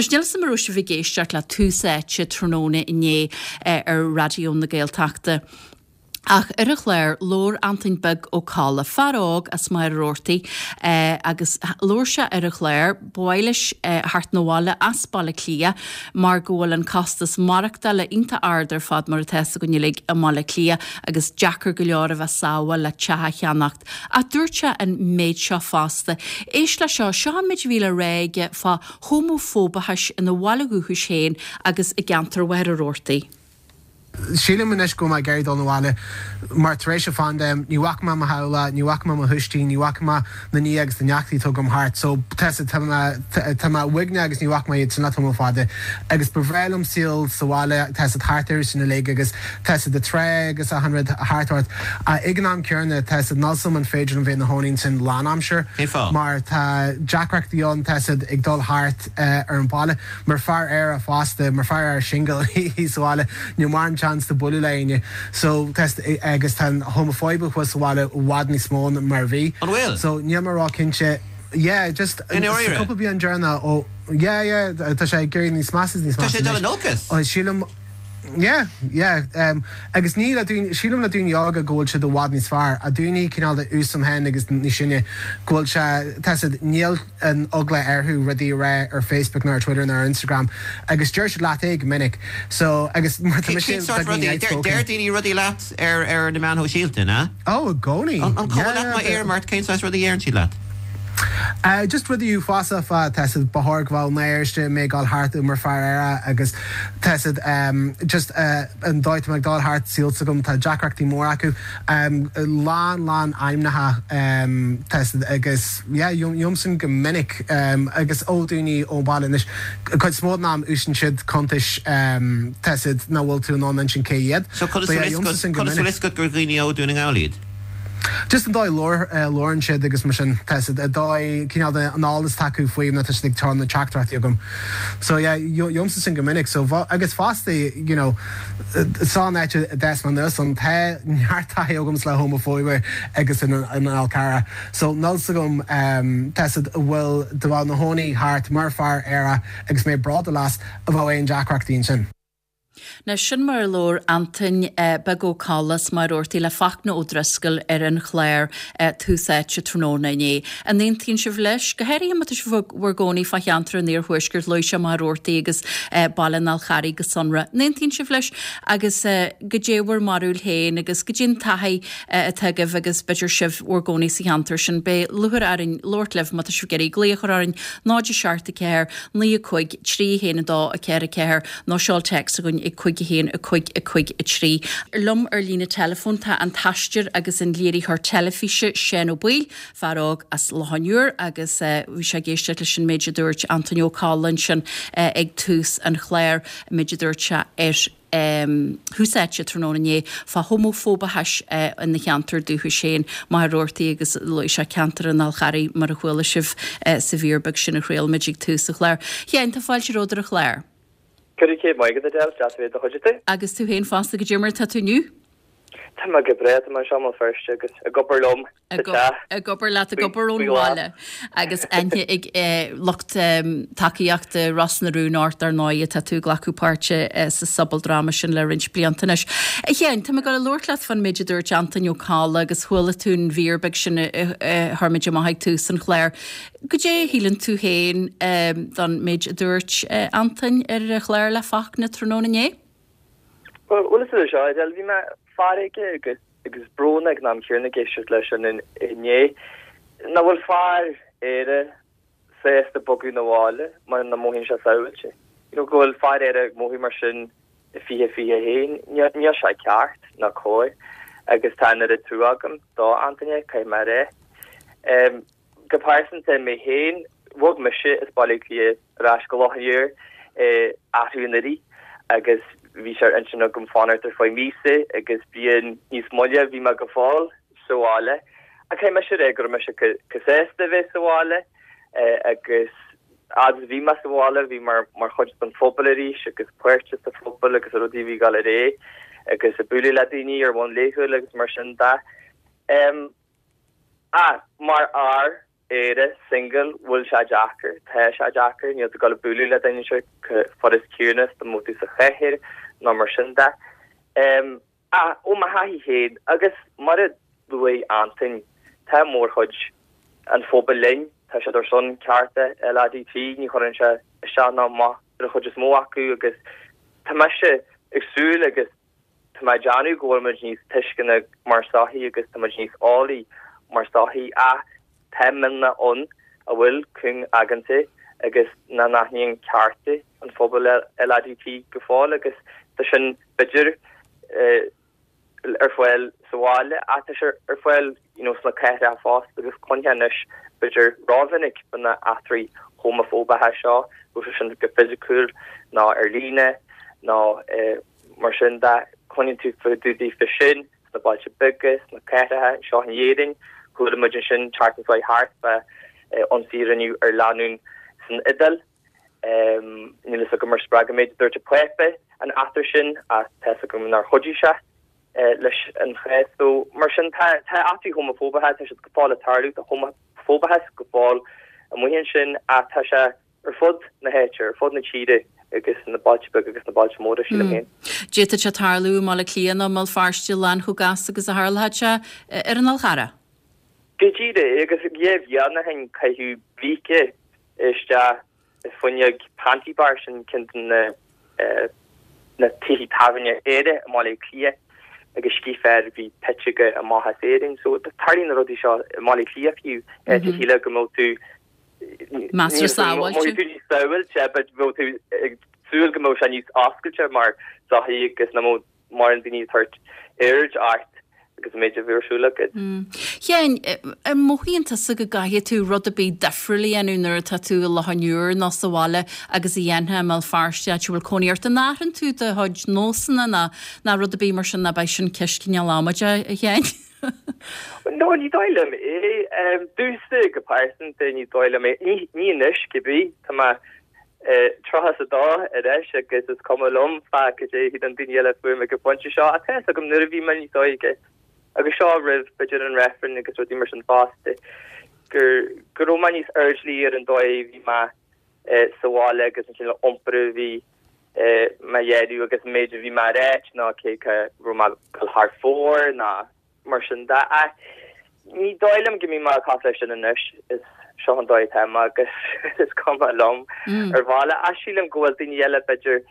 Anois, níl 'fhios a'm an raibh sibh ag éisteacht le Tús Áite tráthnóna inné ar Raidió na Gaeltachta. Ach ar an chlár, labhair Antoin Beag Ó Colla, fear óg as Machaire Rabhartaigh, agus labhair sé ar an chlár, ba mhaith leis theacht 'na bhaile as Baile Átha Cliath mar go bhfuil an costas maireachtála iontach ard ar fad mar atá 'fhios againn uilig i mBaile Átha Cliath agus deacair go leor a bheith sábháil le teach a cheannacht. Ach dúirt sé an méid seo fosta. Éist le seo, seo an méid a bhí le rá aige fá homafóbachais ina bhaile dhúchais féin agus i gceantar Mhachaire Rabhartaigh. Sílim anois go bhfuil mé ag iarraidh dul 'na bhaile mar tar éis an phaindéim ní bhfaca mé mo theaghlach, ní bhfaca mé mo thuistí, ní bhfaca mé na nithe agus na neachtaí atá agam thart so tá tá mé tá mé uaigneach agus ní bhfaca mé iad sin le tamall fada agus ba bhreá liom saol sa bhaile tá siad thart orthu sin uilig agus tá siad ag trá agus achan rud thart ort ach ag an am céanna tá siad níl 's agam an féidir liom bheith 'na chónaí ansin lánaimsear Cén fáth? mar tá deacrachtaí ann tá siad ag dul thart ar an bhaile. Mar fear aerach fosta, mar fear aerach singil thíos sa bhaile, níl mórán chance de bualadh le éinne. So, tá, agus tá an homafóibe thuas sa bhaile i bhfad níos mó ná mar a bhí. An bhfuil? So, níl mé ró-chinnte. Yeah, just, I ndáiríre? sa cúpla bliain deireanach ó, yeah, yeah, tá sé ag éirí níos measa is níos Tá measa sé ag dul anois. in olcas? Sílim, yeah, yeah, agus ní le daoine, sílim le daoine óga go bhfuil siad i bhfad níos fearr, ach daoine cineál de aois agam féin agus níos sine, go bhfuil sé, tá siad, níl, an eagla orthu rudaí a rá ar Facebook nó ar Twitter nó ar Instagram agus deir siad leat é go minic so agus mar tá mise Cén sórt beagáinín rudaí? Deir outspoken. deir daoine rudaí leat ar ar na meáin shóisialta, an ea? Oh i gcónaí. An an cuma Yeah leat yeah. má iarraim ort cén saghas rudaí a deireann siad leat? Uh just rudaí uafásacha fá tá siad ba chóir go bhfuil náire ortsa mé ag dul thart mar fear aerach agus tá siad um just uh an dóigh tá mé ag dul thart saol s'agam tá deacrachtaí móra acu um lán lán ainmneacha um tá siad agus Yeah, gheobhaim sin go minic agus ó daoine ón baile anois, cuid is mó den am úsáideann siad cuntais tá siad nach bhfuil tú in ann insint cé hiad. So conas But yeah, bhfuil gheobhaimse sin go conas bhfuil minic. fhios agat gur dhaoine ó Dún na nGall iad? Just an dóigh a labhrann siad agus mar sin, tá siad, an dóigh, cineál de an eolas atá acu faoi nó tá siad ag cur na teachtaireachtaí chugam. So yeah, gheobhaimse sin go minic. So agus fosta, you know, san áit a d'fhás mé anuas ann, tá neart taithí agamsa le homafóibe agus an Fhol Carrach. So níl 's agam tá siad a bhfuil de bheith 'na chónaí thart mar fear aerach agus mé bródúil as a bheadh aon deacrachtaí ansin. Now sin mar a labhair Antoin Beag Ó Colla as Machaire Rabhartaigh le Fachtna Ó Drisceoil ar an chlár Tús Áite tráthnóna inné. An aontaíonn sibh leis? Go háirithe má tá sibh bhur gcónaí fá cheantar an Iarthuaiscirt, luaigh sé Machaire Rabhartaigh agus Baile an Fhál Carraigh go sonrath. An aontaíonn sibh leis? Agus goidé bhur mbarúil féin agus goidé an taithí atá agaibh agus b'fhéidir sibh bhur gcónaí sa cheantar sin. Beidh lúcháir orainn labhairt libh má tá sibh ag iarraidh glaoch a chur orainn, 0 7 4 9 5 3 1 2 4 4 nó seol téacs chugainn ag 5 1 5 5 3. Liom ar líne teileafóin tá an t-aisteoir agus an léiritheoir teilifíse Seán Ó Baoill, fear óg as Loch an Iúir agus bhí sé ag éisteacht leis an méid a dúirt Antoin Ó Colla ansin ag tús an chláir, an méid a dúirt sé ar Thús Áite tráthnóna inné fá homafóbachais ina cheantar dúchais féin, Machaire Rabhartaigh agus luaigh sé ceantar an Fháil Charraigh mar a chuala sibh sa mhír beag sin a chraol muid ag tús an chláir. A Sheáin, tá fáilte romhat ar an chlár. Go raibh céad maith agat, Adele, deas a bheith i do chuideachta. Agus tú féin fosta, goidé mar atá tú inniu? Tá mé go breá, tá mé anseo i mBéal Feirste agus ag obair liom sa teach. Ag obair leat, ag obair ón bhaile agus aithne ag lucht tacaíochta Ros na Rún ort ar ndóigh, tá tú ag glacadh páirte sa sobaldráma sin le roinnt blianta anois. A Sheáin, tá mé ag dul a labhairt leat fán méid a dúirt Antoin Ó Colla agus chuala tú an mhír beag sin a chuir muid amach ag tús an chláir. Goidé a shíleann tú féin don méid a dúirt Antoin ar an chlár le Fachtna tráthnóna inné? Bhuel, is é seo, Adele, bhí mé feargach agus agus brónach ag an am céanna ag éisteacht leis sin inné. Nach bhfuil fear aerach sásta bogadh 'na bhaile mar nach mothaíonn sé sábháilte. You know, go bhfuil fear aerach ag mothú mar sin i 2021, níl sé ceart ná cóir agus tá an oiread trua agam do Antaine, caithfidh mé a rá. Go pearsanta, mé féin, bhog mise as Baile Átha Cliath ar ais go Loch an Iúir arú anuraidh agus bhí sé ar intinn agam fanacht ar feadh míosa agus bliain níos moille bhí mé go fóill sa bhaile. Ach caithfidh mise a rá go raibh mise chomh sásta a bheith sa bhaile agus fhad is a bhí mé sa bhaile bhí mé mar chuid den phobal arís agus páirteach sa phobal agus rudaí a bhí ag dul ar aghaidh agus ag bualadh le daoine ar bhonn laethúil agus mar sin de. Ach mar fhear. Éire, single, bhfuil sé deacair, tá sé deacair, níl tú ag dul ag bualadh le duine seo chomh furast céanna is dá mbeadh tú sa chathair nó mar sin de. Ach ó mo thaithí féin, agus mar a luaigh Antain, tá mórchuid an phobail linn, tá siad ar son cearta LADT, ní chuireann sé isteach ná amach ar an chuid is mó acu agus tá mise ag súil agus tá mé ag déanamh go bhfuil muid níos tuisceana mar sochaí agus tá muid níos eolaí mar sochaí ach tá mionlach ann a bhfuil cúng-aigeanta agus nach n-aithníonn cearta an phobail LADT go fóill agus tá sin b'fhéidir ar fáil sa bhaile ach tá sé ar fáil you know sna cathracha fosta agus cluinfeá anois b'fhéidir rómhinic fá na eachtraí homafóbacha seo, bíodh sé sin go fisiciúil nó ar líne nó mar sin de, cluineann tú fá dtaobh de sin sna bailte beaga, sna cathracha anseo in Éirinn. Chuala muid ansin tseachtain seo thart fá ionsaí a rinneadh ar lánúin san Iodáil. Níl a fhios agam ar spreag an méid a dúirt an Pápa an eachtra sin ach tá a fhios agam nár chuidigh sé leis an chás. So mar sin tá eachtraí homafóbacha, tá siad go fóill ag tarlú, tá homafóbachas go fóill amuigh ansin ach tá sé ar fud na háite, ar fud na tíre agus na bailte beaga agus na bailte móra, sílim féin. D'fhéadfadh sé tarlú i mBaile Átha Cliath nó i mBéal Feirste lán chomh gasta agus a tharlódh sé ar an Fhál Charrach. Go díreach, agus dhá bhliain ó shin caitheadh bríce isteach i bhfuinneog Panti Bar, sin ceann de na na tithe tábhairne aeracha i mBaile Átha Cliath agus scíth fear a bhí pite aige amach as Éirinn. So tarlaíonn na rudaí seo i mBaile Átha Cliath fiú, áit a shílfeá go mbeadh tú Measartha sábháilte. Mbeadh tú níos sábháilte, but bheadh tú ag súil go mbeadh sé níos oscailte mar sochaí agus nach mbeadh mórán daoine ag tabhairt aird ort agus an méid a bhí ar siúl agat. Sheáin, an mothaíonn tusa go gcaithfidh tú rud ar bith difriúil a dhéanamh nuair atá tú i Loch an Iúir nó sa bhaile agus a dhéanfá i mBéal Feirste áit a bhfuil cónaí ort? An athraíonn tú do chuid nósanna nó nó rud ar bith mar sin nó ab é sin ceist cineál amaideach, a Sheáin? No, ní dóigh liom é. Domhsa go pearsanta, ní dóigh liom é. Ní anois, cibé. Tá mé 32 anois agus is cuma liom fá cad é a shíleann daoine eile fúm ag an phointe seo. Ach tá fhios agam nuair a bhí mé níos óige, agus seo roimh b'fhéidir an reifreann agus rudaí mar sin fosta, gur go raibh mé níos airdeallaí ar an dóigh a bhí mé sa bhaile agus an cineál iompair a bhí mé a dhéanamh agus an méid a bhí mé a ráit ná cé go raibh mé ag dul thar fóir ná mar sin de. Ach ní dóigh liom go mbím mé cosúil leis sin anois, is seo an dóigh atá mé agus is cuma liom ar bhealach. Ach sílim go bhfuil daoine eile b'fhéidir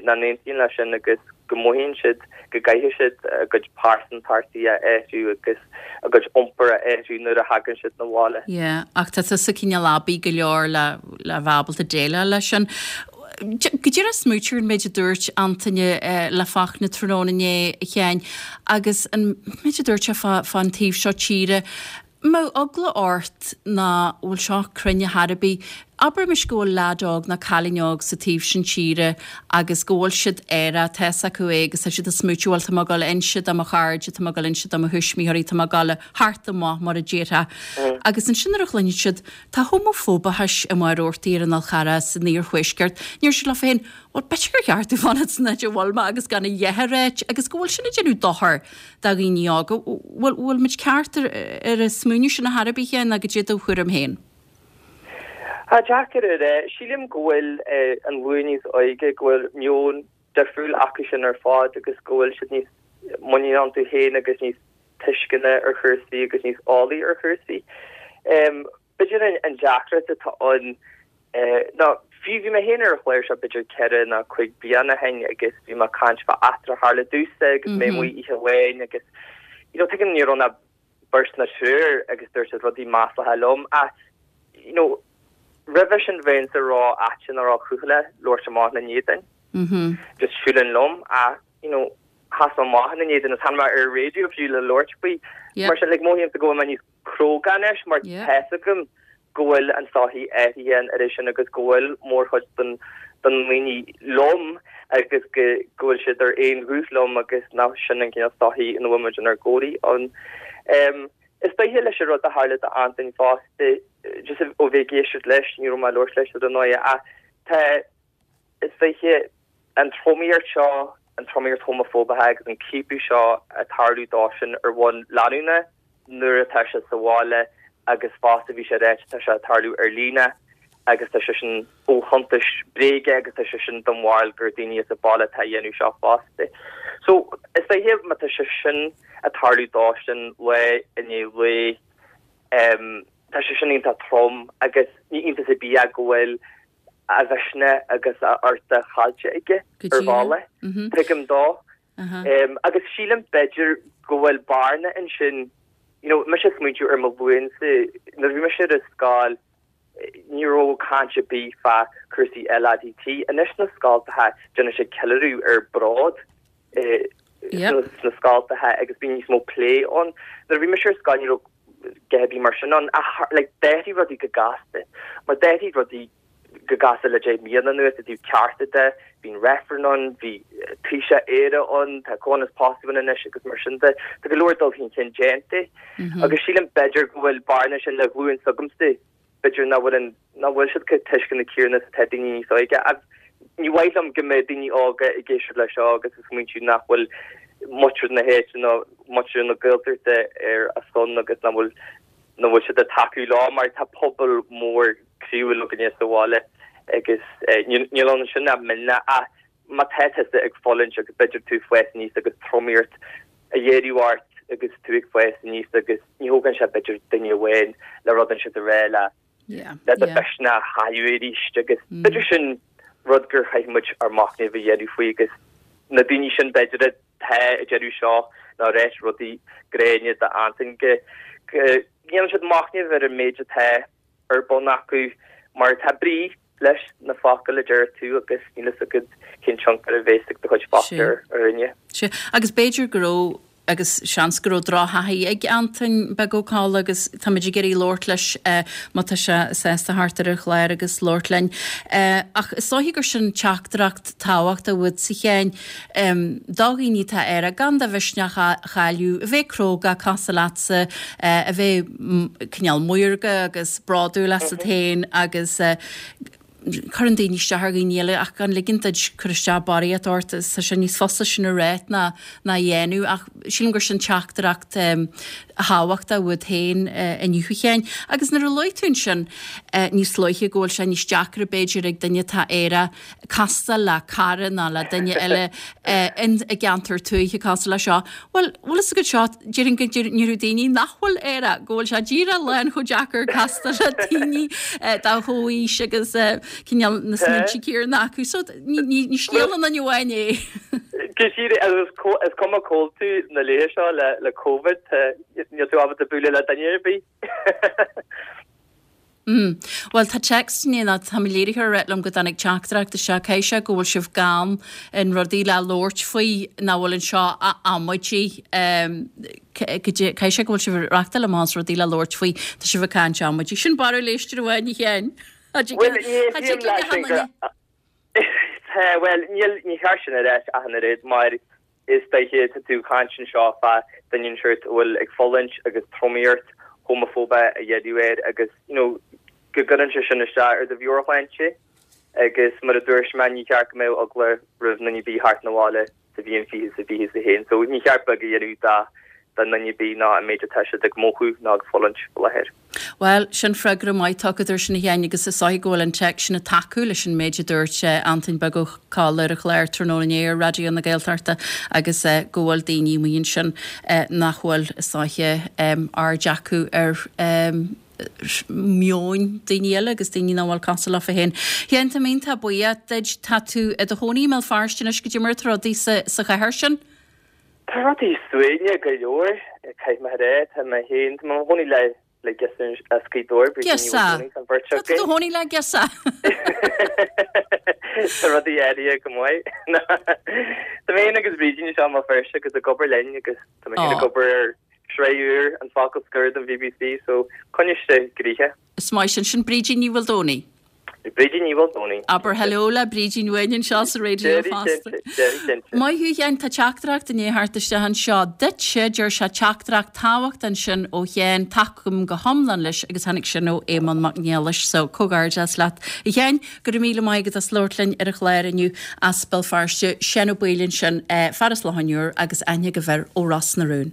nach n-aontaíonn leis sin agus go mothaíonn siad go gcaithfidh siad a gcuid pearsantachtaí a athrú agus a gcuid iompair a athrú nuair a thagann siad 'na bhaile. Yeah, ach tá tusa cineál aibí go leor le le bheith ábalta déileáil leis sin. Go díreach smaoitiú ar an méid a dúirt Antaine le Fachtna tráthnóna inné, a Sheáin, agus an méid a dúirt sé fá fán taobh seo tíre. Mbeadh eagla ort ná bhfuil seo cruinn ar chor ar bith. Abraimis go bhfuil leaid óg nó cailín óg sa taobh sin tíre agus go bhfuil siad aerach, tá fhios acu é agus tá siad ag smaoitiú bhuel tá mé ag dul a inse do mo chairde, tá mé ag dul a inse do mo thuismitheoirí, tá mé ag dul a theacht amach mar a déarfá. Agus ansin nuair a chluineann siad tá homafóbachas i Maigh Rabhartaigh ar an Fhál Charrach san iarthuaisceart, deir siad leo féin bhuel b'fhéidir gur cheart domh fanacht san áit a bhfuil mé agus gan a dhath a ráit agus go bhfuil sin ag déanamh dochar do dhaoine óga. Bhfuil, bhfuil muid ceart ar, ar an smaoineamh sin ar chor ar bith, ná goidé do thuairim féin? Tá deacair a rá. Sílim go bhfuil an ghlúin níos óige, go bhfuil meon difriúil acu sin ar fad agus go bhfuil siad níos muiníne iontu féin agus níos tuisceana ar chúrsaí agus níos eolaí ar chúrsaí. B'fhéidir an deacracht atá ann ná, fiú bhí mé féin ar an chlár seo b'fhéidir ceithre nó cuig bliana ó shin agus bhí mé ag caint fá eachtra a tharla domhsa agus mé amuigh oíche amháin agus you know tuigim ní raibh ach beirt nó triúr agus dúirt siad rudaí maslacha liom ach you know roimhe sin bheinnse ró-fhaitíoch róchúthaileach labhairt amach ina n-éadan. Just siúlann liom ach you know sheas mé amach ina n-éadan agus tháinig mé ar an raidió fiú le labhairt faoi. Mar sin like mothaímse go bhfuil mé níos cróga anois mar tá fhios agam go bhfuil an sochaí athraithe an oiread sin agus go bhfuil mórchuid den den ndaoine liom agus go go bhfuil siad ar aon ghuth liom agus nach sin an cineál sochaí ina bhfuil muid inár gcónaí ann. Is dóiche leis an rud a tharla do Antain fosta, just ó bheith ag éisteacht leis, ní raibh mé ag labhairt leis ar ndóigh ach tá Is dóiche an tromaíocht seo, an tromaíocht homafóbach agus an ciapadh seo ag tarlú dósan ar bhonn leanúnach nuair atá siad sa bhaile. agus fosta bhí sé ráite tá sé ag tarlú ar líne agus tá sé sin ó chuntais bréige agus tá sé sin den bharúil gur daoine as an baile atá a dhéanamh seo fosta. So is dóiche má tá sé sin ag tarlú dósan lá i ndiaidh lae tá sé sin iontach trom agus ní iontas ar bith é go bhfuil a mhisneach agus a uchtach caillte aige ar bhealach. Tuigim dó. Agus sílim b'fhéidir go bhfuil bearna ansin, you know, mise ag smaointiú ar mo ghlúinsa, nuair a bhí mise ar an scoil, ní raibh caint ar bith fá cúrsaí LADT. Anois sna scoltacha, déanann siad ceiliúradh ar bród sna scoltacha agus bíonn níos mó plé ann. Nuair a bhí mise ar scoil ní raibh a dhath ar bith mar sin ann ach like d'athraigh rudaí go gasta mar d'athraigh rudaí go gasta le 10 mbliana anuas i dtaobh cearta de, bhí an reifreann ann, bhí Taoiseach Éire ann, tá comhionannas pósta ann anois agus mar sin de. Tá go leor dul chun cinn déanta agus sílim b'fhéidir go bhfuil bearna ansin le glúin s'agamsa, b'fhéidir nach bhfuil an, nach bhfuil siad chomh tuisceanach céanna is atá daoine níos óige. Ach ní mhaith liom go mbeadh daoine óga ag éisteacht leis seo agus ag smaointiú nach bhfuil muintir na háite nó muintir na Gaeltachta ar a son agus nach bhfuil, nach bhfuil siad ag tacú leo mar tá pobal mór croíúil againne sa bhaile agus níl ann sin ach mionlach ach má tá tusa ag fulaingt agus b'fhéidir tú ag fás aníos agus tromaíocht á dhéanamh ort agus tú ag fás aníos agus ní thógann sé b'fhéidir duine amháin le rud inteacht a rá le le do mhisneach a chailleadh arís agus b'fhéidir sin rud gur chaith muid ár machnamh a dhéanamh faoi agus na daoine sin b'fhéidir atá ag déanamh seo nó ag ráit rudaí gránna d'Antain go ndéanann siad machnamh ar an méid atá ar bun acu mar tá brí leis na focail a deir tú agus níl fhios agat cén tionchar a bhéas ag do chuid focal ar dhuine. Sea, agus b'fhéidir go raibh, agus seans go raibh drochthaithí ag Antain Beag Ó Colla agus táimid ag iarraidh labhairt leis má tá sé sásta theacht ar an chlár agus labhairt linn. Ach is dóiche gur sin teachtaireacht tábhachtach uait a Sheáin, do dhaoine atá aerach, gan do mhisneach a chailleadh, a bheith cróga cosúil leatsa, a bheith cineál maorga agus bródúil asat féin agus cuireann daoine isteach ar dhaoine eile ach gan ligean duit cur isteach barraíocht ort, tá sé níos fusa sin a rá ná a dhéanamh ach sílim gur sin teachtaireacht thábhachtach uait féin inniu a Sheáin. Agus nuair a luaigh tú ansin níos luaithe go bhfuil sé níos deacra b'fhéidir ag duine atá aerach castáil le cara nó le duine eile i gceantar tuaithe cosúil le seo. Bhuel, bhfuil fhios agat seo, déarfainn go ndéarfadh daoine nach bhfuil aerach go bhfuil sé díreach lán chomh deacair castáil le daoine dá chomhaois agus cineál na smaointe céanna acu. So ní scéal aon duine amháin é. Go díreach, agus is cuma cá bhfuil tú na laetha seo le Covid, níl tú ábalta bualadh le duine ar bith. Mm. Bhuel, tá text inné ná tá mo léiritheoir ag ráit liom go dtáinig teachtaireacht isteach, caithfidh sé go bhfuil sibh gann in rudaí le labhairt faoi nach bhfuil anseo a amaidí. Caithfidh sé go bhfuil sibh ag reachtáil amach as rudaí le labhairt faoi, tá sibh ag caint amaidí. Sin barúil éisteoir amháin, a Sheáin. Bhuel, ní aontaím leis sin go. Tá, bhuel, níl, ní cheart sin a ráit ach an oiread mar is dóiche tá tú ag caint anseo fá duine inteacht a bhfuil ag fulaingt agus tromaíocht homafóbach á dhéanamh air agus, you know, go gcuireann sé sin isteach ar do mheabhairshláinte agus mar a dúirt mé ní cheart go mbeadh eagla roimh dhuine ar bith theacht 'na bhaile sa bhliain 2021 so ní cheart beag a dhéanamh de do dhuine ar bith ná an méid atá siad ag mothú ná ag fulaingt faoi láthair. Bhuel, sin freagra maith tugtha air sin a Sheáin agus is dóiche go bhfuil an téacs sin ag tacú leis an méid a dúirt Antain Beag Ó Colla ar an chlár tráthnóna inné ar Raidió na Gaeltachta agus go bhfuil daoine amuigh ansin nach bhfuil, is dóiche, aird acu ar mheoin daoine eile agus daoine nach bhfuil cosúil leofa féin. A Sheáin, tá mé iontach buíoch duit. Tá tú i do chónaí i mBéal Feirste anois, goidé mar atá rudaí sa chathair sin? Tá rudaí suaimhneach go leor, caithfidh mé a rá. Tá mé féin, tá mé i mo chónaí le le girseach as Gaoth Dobhair, Brídín Ní Girseach! Mhaoldomhnaigh, tá an bheirt Tá tú i do againn. chónaí le girseach! Tá rudaí áirithe go maith. Tá mé féin agus Brídín anseo i mBéal Feirste agus ag obair linn agus tá mé féin ag obair ar shraith úr, An Focal Scoir don BBC, so coinneoidh sé gnoitheach. Is maith sin. Sin Brídín Ní Mhaoldomhnaigh. Brídín Ní Mhaoldomhnaigh. Abair hello le Brídín uainn anseo sa raidió fosta. Maith thú a Sheáin, tá teachtaireacht i ndiaidh theacht isteach anseo duitse, deir sé teachtaireacht tábhachtach ansin ó Sheán, tacaím go hiomlán leis agus tháinig sin ó Éamonn Mac Niallais, so comhghairdeas leat a Sheáin, go raibh míle maith agat as labhairt linn ar an chlár inniu as Béal Feirste, Seán Ó Baoill ansin, fear as Loch an Iúir agus aithne agaibh air ó Ros na Rún.